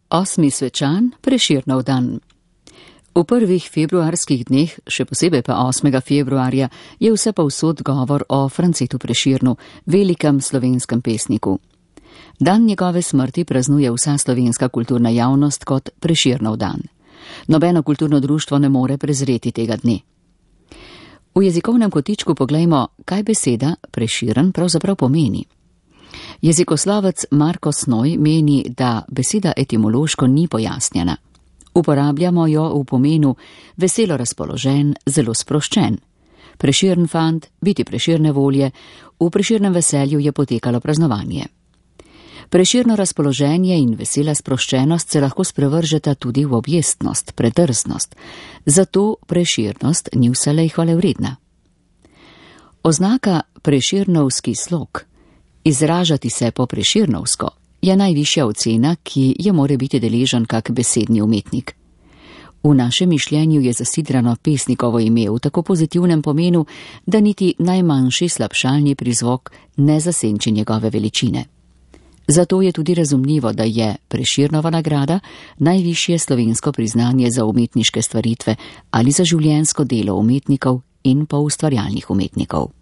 8. svečan, Prešernov dan. V prvih februarskih dneh, še posebej pa 8. februarja, je vse povsod govor o Francetu Prešernu, velikem slovenskem pesniku. Dan njegove smrti praznuje vsa slovenska kulturna javnost kot Prešernov dan. Nobeno kulturno društvo ne more prezreti tega dne. V jezikovnem kotičku poglejmo, kaj beseda Prešeren pravzaprav pomeni. Jezikoslovec Marko Snoj meni, da beseda etimološko ni pojasnjena. Uporabljamo jo v pomenu veselo razpoložen, zelo sproščen. Prešeren fant, biti prešerne volje, v prešernem veselju je potekalo praznovanje. Prešerno razpoloženje in vesela sproščenost se lahko sprevržeta tudi v objestnost, predrznost. Zato prešernost ni vselej hvalevredna. Oznaka prešernovski slog, izražati se po prešernovsko, je najvišja ocena, ki je more biti deležen kak besedni umetnik. V našem mišljenju je zasidrano pesnikovo ime v tako pozitivnem pomenu, da niti najmanjši slabšalni prizvok ne zasenči njegove veličine. Zato je tudi razumljivo, da je Prešernova nagrada najvišje slovensko priznanje za umetniške stvaritve ali za življenjsko delo umetnikov in poustvarjalnih umetnikov.